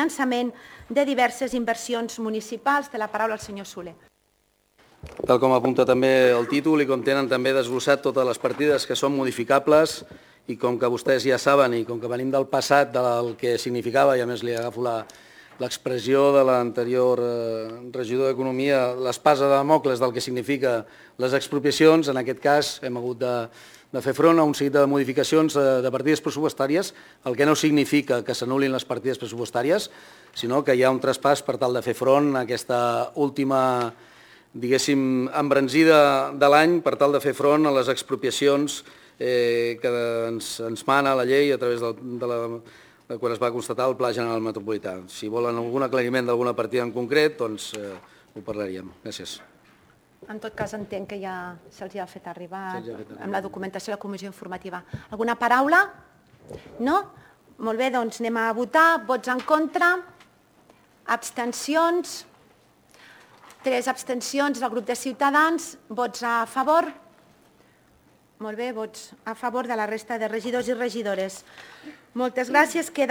finançament de diverses inversions municipals. Té la paraula el senyor Soler. Tal com apunta també el títol i com tenen també desglossat totes les partides que són modificables i com que vostès ja saben i com que venim del passat del que significava, i a més li agafo l'expressió de l'anterior regidor d'Economia, l'espasa de Damocles del que significa les expropiacions, en aquest cas hem hagut de fer front a un seguit de modificacions de partides pressupostàries, el que no significa que s'anul·lin les partides pressupostàries, sinó que hi ha un traspàs per tal de fer front a aquesta última, diguéssim, embranzida de l'any per tal de fer front a les expropiacions que ens mana la llei a través de quan es va constatar el Pla General Metropolità. Si volen algun aclariment d'alguna partida en concret, doncs ho parlaríem. Gràcies. En tot cas, entenc que ja se'ls ha fet arribar amb la documentació de la comissió informativa. Alguna paraula? No? Molt bé, doncs anem a votar. Vots en contra? Abstencions? 3 abstencions del grup de Ciutadans. Vots a favor? Molt bé, vots a favor de la resta de regidors i regidores. Moltes gràcies. Queda